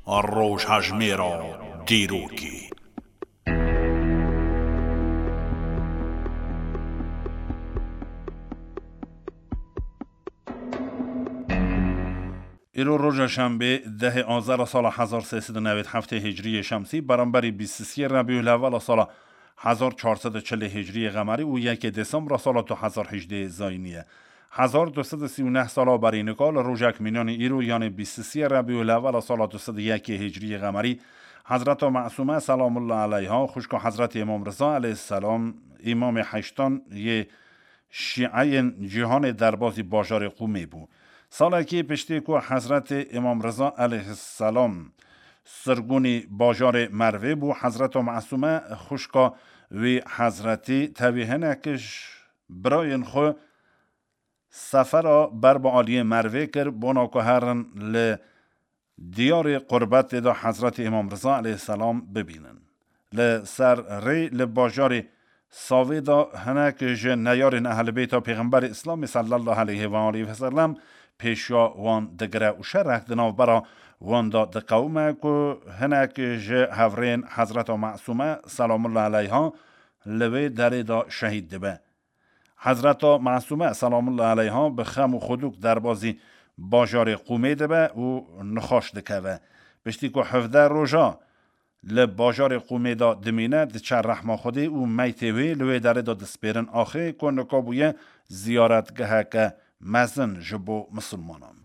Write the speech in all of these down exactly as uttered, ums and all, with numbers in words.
Rojhejmêra dîrokê. Îro roja şembê, dehê Azera sala hezar sê sed û newêd heftê Hicriyê Şemsî, beramberî bîst û sê Rebîulewela sala hezar çar sed û çilê Hicriyê Qemerî û yekê Dêsembra sala du hezar hejdê Zayînî ye. Hezar du sed û sî û neh sala berî nika li rojek mînanî îro, yanê bîst û sê Rebîulewela sala du sed û yekê Hicriyê Qemerî, Hezreta Mesûme selamullah eleyha, xwişka Hezretê Îmam Riza eleyhisselam, Îmamê heştan yê Şîeyên cîhanê derbazî bajarê Qûmê bû. Salekî piştî ku Hezretê Îmam Riza eleyhisselam sirgûnî bajarê Mervê bû, Hezreta Mesûme xwişka wî Hezretî tevî hinek ji birayên xwe sefera ber bi aliyê Mervê kir, bona ku herin li diyarê qurbetê de Hezretê Îmam Riza eleyhisselam bibînin. Li ser rê li bajarê Savê de hinek ji neyarên Ehlibeyta Pêxemberê Îslamê sallallahu aleyhi ve aleyhi ve sellem pêşiya wan digire û şerek di navbera wan de diqewime ku hinek ji hevrêyên Hezreta Mesûme selamullah eleyha li wê derê de şehîd dibe. Hezreta Mesûme selamullah eleyha bi xem û xwedûk derbazî bajarê Qûmê dibe û nixweş dikeve. Piştî ku hevdeh roja li bajarê Qûmê de dimîne, diçe rehma Xwedê û meytê wê li wê derê de dispêrin axê ku nika bûye ziyaretgeheke mezin ji bo misilmanan.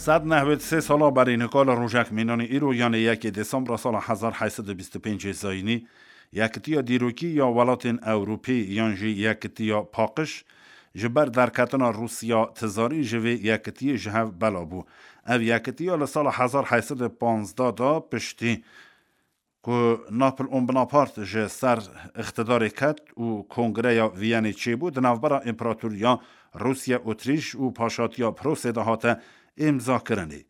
Sed nehwêd sê sala berî nika li rojek mînanî îro, yanê yekê Dêsembra sala hezar heyt sed û bîst û pêncê Zayînî, Yekitiya Dîrokî ya Welatên Ewropî yan jî Yekitiya Paqij, ji ber derketina Rûsya tizarî ji vê yekitiyê ji hev bela bû. Ev yekitiya li sala hezar heyt sed û panzdeh de piştî ku Napleon Bonaparte ji ser îqtidarê ket û Kongreya Viyanê çêbû, di navbera Împaratoriya Rûsya, Otrîş û Paşatiya Prosê de hate îmzakirinê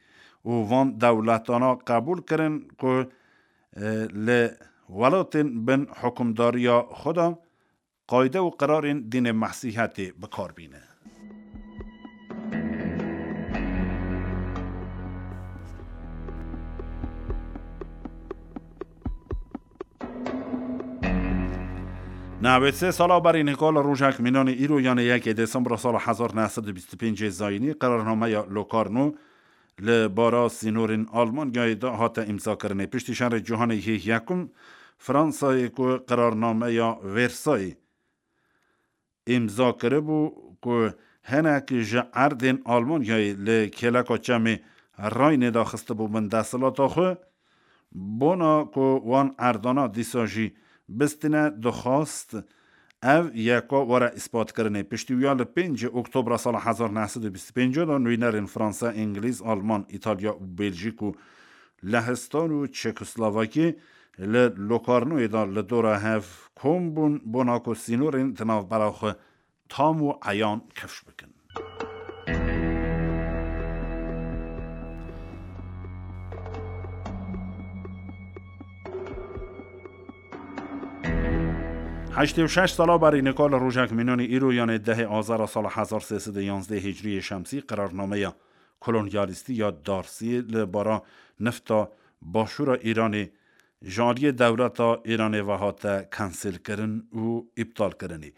û van dewletana qebûl kirin ku, e, li welatên bin hukimdariya xwe de qayde û qirarên dînê Mesîhetê bi kar bîne. Newêd sê sala berî nika li rojek mînanê îro, yanê yekê Dêsembra sala hezar neh sed û bîst û pêncê Zayînî, qerarnameya Locarno li bara sînorên Almanyayê de hate îmzakirinê. Piştî Şerê Cîhanê yê Yekum, Fransayê ku qerarnameya Versayê îmza kiribû ku hinek ji erdên Almanyayê li kêleka çemê Raynê de xistibûbin desthilata xwe, bona ku wan erdana dîsa jî bistine, dixwast ev yeka were îspatkirinê. Piştî wiya li pêncê Oktobra sala hezar neh sed û bîst û pênc de nûnerên Fransa, Îngilîz, Alman, Îtalya û Bêlcîk û Lehistan û Çekoslovakî li Lokarnoyê de li dora hev kom bûn, bona ku sînorên di navbera xwe tam û eyan kifş bikin. Heştê û şeş sala berî nika li rojek mînanî îro, yanê dehê Azara sala hezar sê sed û yanzdeh Hicriyê Şemsî, qerarnameya kolonyalîstî ya Darsî li bara nifta başûra Îranê ji aliyê dewleta Îranê ve hate kanselkirin û îptalkirinê.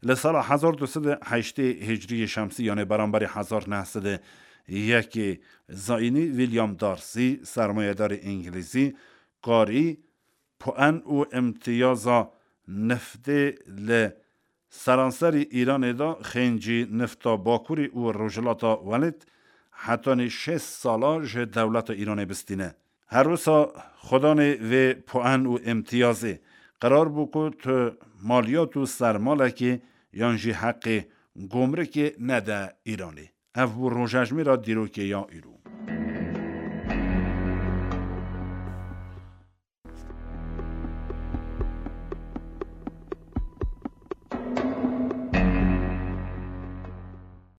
Li sala hezar du sed û heştê Hicriyê Şemsî, yanê beramberî hezar neh sed û yekê Zayînî, William Darcy, sermayedarê Îngilîzî, karî puan û îmtiyaza niftê li seranserî Îranê de xêncî nifta Bakurê û Rojhilata Welêt hetanî şêst sala ji dewleta Îranê bistîne. Her wisa xwedanê vê puan û îmtiyazê, qerar bû ku tu maliyat û sermalekê yan jî heqê gomrikê nede Îranê. Ev bû rojejmêra dîrokê ya îro.